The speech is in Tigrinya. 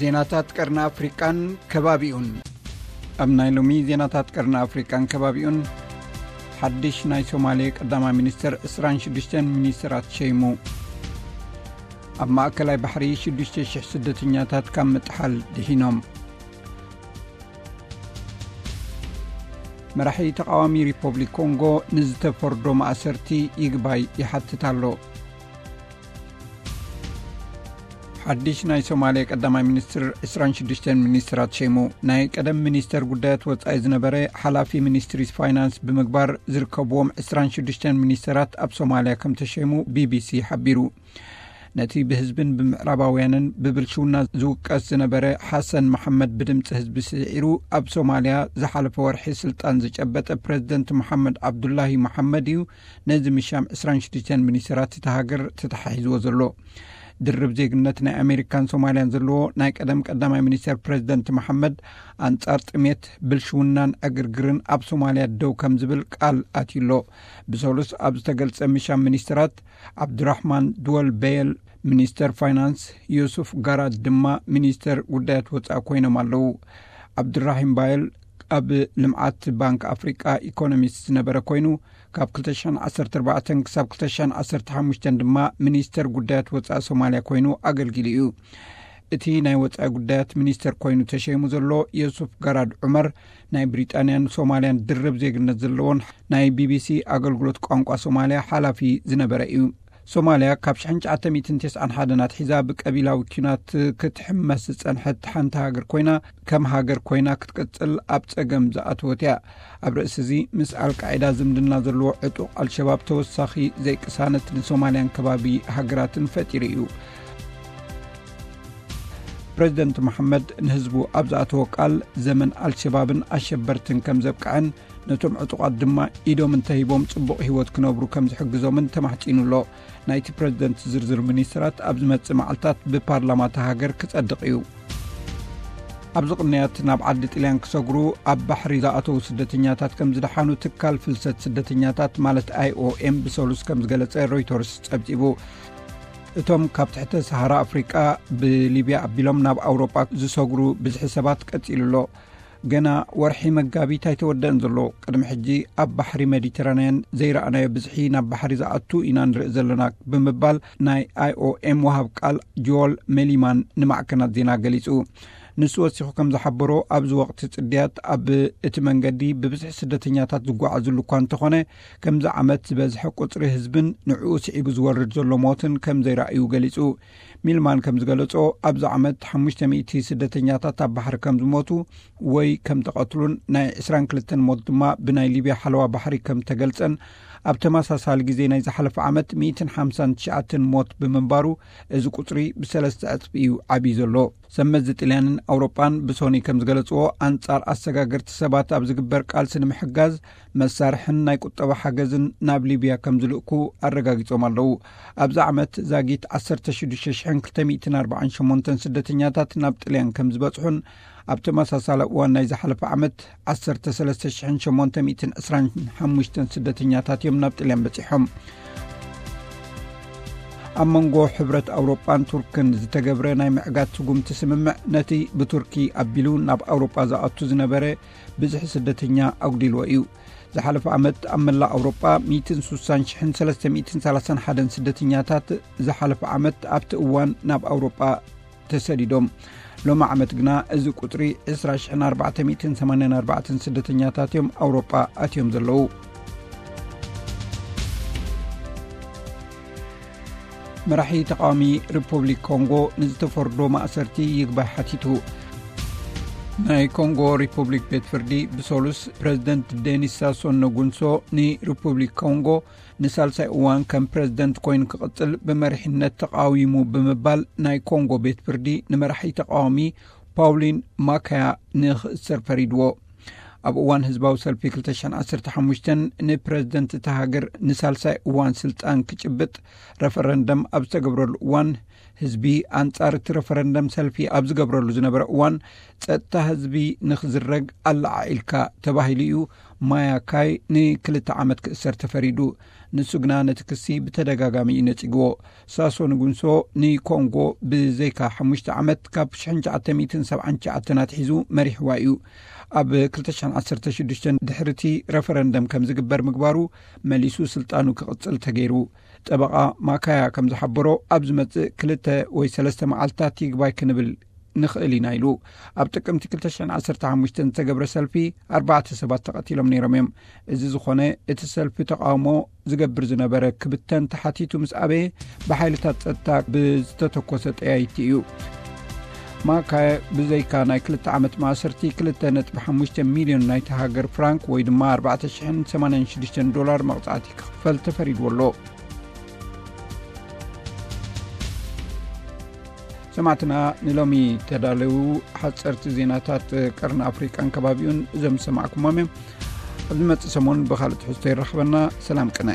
ዜናታት ቀርኒ ኣፍሪቃን ከባቢኡን። ኣብ ናይ ሎሚ ዜናታት ቀርኒ ኣፍሪቃን ከባቢኡን፣ ሓድሽ ናይ ሶማሌ ቀዳማይ ሚኒስተር ዕስራን ሽዱሽተን ሚኒስተራት ሸይሙ። ኣብ ማእከላይ ባሕሪ ሽዱሽተ ሽሕ ስደተኛታት ካብ ምጥሓል ድሒኖም። መራሒ ተቓዋሚ ሪፖብሊክ ኮንጎ ንዝተፈርዶ ማእሰርቲ ይግባይ ይሓትት ኣሎ። ሓድሽ ናይ ሶማሌ ቀዳማይ ሚኒስትር ዕስራን ሽዱሽተን ሚኒስትራት ሸይሙ። ናይ ቀደም ሚኒስተር ጉዳያት ወጻኢ ዝነበረ ሓላፊ ሚኒስትሪ ፋይናንስ ብምግባር ዝርከብዎም ዕስራን ሽዱሽተን ሚኒስተራት ኣብ ሶማልያ ከም ተሸይሙ ቢቢሲ ሓቢሩ። ነቲ ብህዝብን ብምዕራባውያንን ብብልሽውና ዝውቀስ ዝነበረ ሓሰን መሓመድ ብድምፂ ህዝቢ ስዒሩ ኣብ ሶማልያ ዝሓለፈ ወርሒ ስልጣን ዝጨበጠ ፕሬዝደንት መሓመድ ዓብዱላሂ መሓመድ እዩ ነዚ ምሻም ዕስራን ሽዱሽተን ሚኒስተራት እታ ሃገር ተተሓሒዝዎ ዘሎ። ድርብ ዜግነት ናይ ኣሜሪካን ሶማልያን ዘለዎ ናይ ቀደም ቀዳማይ ሚኒስተር ፕሬዝደንት መሓመድ፣ ኣንጻር ጥሜት፣ ብልሽውናን ዕግርግርን ኣብ ሶማልያ ደው ከም ዝብል ቃል ኣትዩ ኣሎ። ብሰሉስ ኣብ ዝተገልጸ ምሻም ሚኒስተራት፣ ዓብዱራሕማን ድወል በየል ሚኒስተር ፋይናንስ፣ ዮሱፍ ጋራድ ድማ ሚኒስተር ጉዳያት ወጻኢ ኮይኖም ኣለዉ። ዓብዱራሂም ባየል ኣብ ልምዓት ባንክ ኣፍሪቃ ኢኮኖሚስት ዝነበረ ኮይኑ፣ ካብ ክልተ ሽሕን ዓሰርተ ኣርባዕተን ክሳብ ክልተ ሽሕን ዓሰርተ ሓሙሽተን ድማ ሚኒስተር ጉዳያት ወጻኢ ሶማልያ ኮይኑ ኣገልጊሉ እዩ። እቲ ናይ ወጻኢ ጉዳያት ሚኒስተር ኮይኑ ተሸይሙ ዘሎ ዮሱፍ ጋራድ ዑመር፣ ናይ ብሪጣንያን ሶማልያን ድርብ ዜግነት ዘለዎን ናይ ቢቢሲ ኣገልግሎት ቋንቋ ሶማልያ ሓላፊ ዝነበረ እዩ። ሶማልያ ካብ ሽሕን ትሽዓተ ሚእትን ተስዓን ሓደን ኣትሒዛ ብቀቢላዊ ኲናት ክትሕመስ ዝጸንሐት ሓንቲ ሃገር ኮይና፣ ከም ሃገር ኮይና ክትቅጽል ኣብ ጸገም ዝኣተወት እያ። ኣብ ርእሲ እዚ፣ ምስ ኣልቃዒዳ ዝምድና ዘለዎ ዕጡቕ ኣልሸባብ ተወሳኺ ዘይቅሳነት ንሶማልያን ከባቢ ሃገራትን ፈጢሩ እዩ። ፕሬዝደንት መሓመድ ንህዝቡ ኣብ ዝኣተዎ ቃል፣ ዘመን ኣልሸባብን ኣሸበርትን ከም ዘብቅዐን፣ ነቶም ዕጡቓት ድማ ኢዶም እንተሂቦም ጽቡቕ ህይወት ክነብሩ ከም ዝሕግዞምን ተማሕጺኑ ኣሎ። ናይቲ ፕሬዝደንት ዝርዝር ሚኒስትራት ኣብ ዝመጽእ መዓልታት ብፓርላማ እታ ሃገር ክጸድቕ እዩ። ኣብዚ ቅንያት፣ ናብ ዓዲ ጥልያን ክሰግሩ ኣብ ባሕሪ ዝኣተዉ ስደተኛታት ከም ዝደሓኑ ትካል ፍልሰት ስደተኛታት ማለት ኣይኦኤም ብሰሉስ ከም ዝገለጸ ሮይተርስ ጸብጺቡ። እቶም ካብ ትሕተ ሰሃራ ኣፍሪቃ ብሊብያ ኣቢሎም ናብ ኣውሮጳ ዝሰግሩ ብዝሒ ሰባት ቀጺሉ ኣሎ። ገና ወርሒ መጋቢት ኣይተወደአን ዘሎ። ቅድሚ ሕጂ ኣብ ባሕሪ ሜዲተራንያን ዘይረኣናዮ ብዝሒ ናብ ባሕሪ ዝኣቱ ኢና ንርኢ ዘለና ብምባል ናይ ኣይኦኤም ወሃብ ቃል ጆል ሜሊማን ንማዕከናት ዜና ገሊጹ። ንሱ ወሲኹ ከም ዝሓበሮ፣ ኣብዚ ወቕቲ ጽድያት ኣብ እቲ መንገዲ ብብዝሒ ስደተኛታት ዝጓዓዙሉ እኳ እንተኾነ፣ ከምዚ ዓመት ዝበዝሐ ቁጽሪ ህዝብን ንዕኡ ስዒቡ ዝወርድ ዘሎ ሞትን ከም ዘይረኣዩ ገሊጹ። ሚልማን ከም ዝገለጾ፣ ኣብዚ ዓመት ሓሙሽተ ሚእቲ ስደተኛታት ኣብ ባሕሪ ከም ዝሞቱ ወይ ከም ተቐትሉን ናይ ዕስራን ክልተን ሞት ድማ ብናይ ሊብያ ሓለዋ ባሕሪ ከም ተገልጸን፣ ኣብ ተመሳሳሊ ግዜ ናይ ዝሓለፈ ዓመት ሚእትን ሓምሳን ትሽዓተን ሞት ብምንባሩ፣ እዚ ቁጽሪ ብሰለስተ ዕጽፊ እዩ ዓብዩ ዘሎ። ሰብ መዚ ጥልያንን ኣውሮጳን ብሶኒ ከም ዝገለጽዎ፣ ኣንጻር ኣሰጋገርቲ ሰባት ኣብ ዝግበር ቃልሲ ንምሕጋዝ፣ መሳርሕን ናይ ቁጠባ ሓገዝን ናብ ሊብያ ከም ዝልእኩ ኣረጋጊጾም ኣለዉ። ኣብዚ ዓመት ዛጊት ዓሰርተ ሽዱሽተ ሽሕን ክልተ ሚእትን ኣርባዓን ሸሞንተን ስደተኛታት ናብ ጥልያን ከም ዝበጽሑን፣ ኣብ ተመሳሳሊ እዋን ናይ ዝሓለፈ ዓመት ዓሰርተ ሰለስተ ሽሕን ሸሞንተ ሚእትን ዕስራን ሓሙሽተን ስደተኛታት እዮም ናብ ጥልያን በጺሖም። ኣብ መንጎ ሕብረት ኣውሮጳን ቱርክን ዝተገብረ ናይ ምዕጋት ስጉምቲ ስምምዕ፣ ነቲ ብቱርኪ ኣቢሉ ናብ ኣውሮጳ ዝኣቱ ዝነበረ ብዝሒ ስደተኛ ኣጉዲልዎ እዩ። ዝሓለፈ ዓመት ኣብ መላእ ኣውሮጳ ሚእትን ስሳን ሽሕን ሰለስተ ሚእትን ሰላሳን ሓደን ስደተኛታት ዝሓለፈ ዓመት ኣብቲ እዋን ናብ ኣውሮጳ ተሰዲዶም። ሎሚ ዓመት ግና እዚ ቁጽሪ ዕስራ ሽሕን ኣርባዕተ ሚእትን ሰማንያን ኣርባዕተን ስደተኛታት እዮም ኣውሮጳ ኣትዮም ዘለዉ። መራሒ ተቃዋሚ ሪፖብሊክ ኮንጎ ንዝተፈርዶ ማእሰርቲ ይግባይ ሓቲቱ። ናይ ኮንጎ ሪፖብሊክ ቤት ፍርዲ ብሰሉስ፣ ፕሬዝደንት ዴኒስ ሳሶ ነጉንሶ ንሪፖብሊክ ኮንጎ ንሳልሳይ እዋን ከም ፕሬዝደንት ኮይኑ ክቕጽል ብመሪሕነት ተቃዊሙ ብምባል፣ ናይ ኮንጎ ቤት ፍርዲ ንመራሒ ተቃዋሚ ፓውሊን ማካያ ንኽእሰር ፈሪድዎ። ኣብ እዋን ህዝባዊ ሰልፊ ክልተ ሽሕን ዓሰርተ ሓሙሽተን ንፕሬዝደንት እታ ሃገር ንሳልሳይ እዋን ስልጣን ክጭብጥ ረፈረንደም ኣብ ዝተገብረሉ እዋን፣ ህዝቢ ኣንጻር እቲ ረፈረንደም ሰልፊ ኣብ ዝገብረሉ ዝነበረ እዋን፣ ጸጥታ ህዝቢ ንኽዝረግ ኣለዓዒልካ ተባሂሉ እዩ ማያ ካይ ንክልተ ዓመት ክእሰር ተፈሪዱ። ንሱ ግና ነቲ ክሲ ብተደጋጋሚ እዩ ነጺግዎ። ሳሶ ንጉንሶ ንኮንጎ ብዘይካ ሓሙሽተ ዓመት፣ ካብ ሽሕን ትሽዓተ ሚእትን ሰብዓን ትሽዓተን ኣትሒዙ መሪሕዋ እዩ። ኣብ ክልተ ሽሕን ዓሰርተ ሽዱሽተን ድሕሪ እቲ ረፈረንደም ከም ዝግበር ምግባሩ፣ መሊሱ ስልጣኑ ክቕጽል ተገይሩ። ጠበቓ ማካያ ከም ዝሓበሮ፣ ኣብ ዝመጽእ ክልተ ወይ ሰለስተ መዓልታት ይግባይ ክንብል ንኽእል ኢና ኢሉ። ኣብ ጥቅምቲ ክልተ ሽሕን ዓሰርተ ሓሙሽተን ዝተገብረ ሰልፊ ኣርባዕተ ሰባት ተቐቲሎም ነይሮም እዮም። እዚ ዝኾነ፣ እቲ ሰልፊ ተቃውሞ ዝገብር ዝነበረ ክብተን ተሓቲቱ ምስ ኣበየ፣ ብሓይልታት ጸጥታ ብዝተተኮሰ ጠያይቲ እዩ። ማካየ ብዘይካ ናይ ክልተ ዓመት ማእሰርቲ፣ ክልተ ነጥቢ ሓሙሽተ ሚልዮን ናይቲ ሃገር ፍራንክ ወይ ድማ ኣርባዕተ ሽሕን ሰማንያን ሽዱሽተን ዶላር መቕጻዕቲ ክኽፈል ተፈሪድዎ ኣሎ። ሰማዕትና፣ ንሎሚ ተዳለዉ ሓጸርቲ ዜናታት ቀርኒ ኣፍሪቃን ከባቢኡን እዞም ዝሰማዕኩሞም እዮም። ኣብ ዝመጽእ ሰሙን ብኻልእ ትሕዝቶ ይራኽበና። ሰላም ቅነ።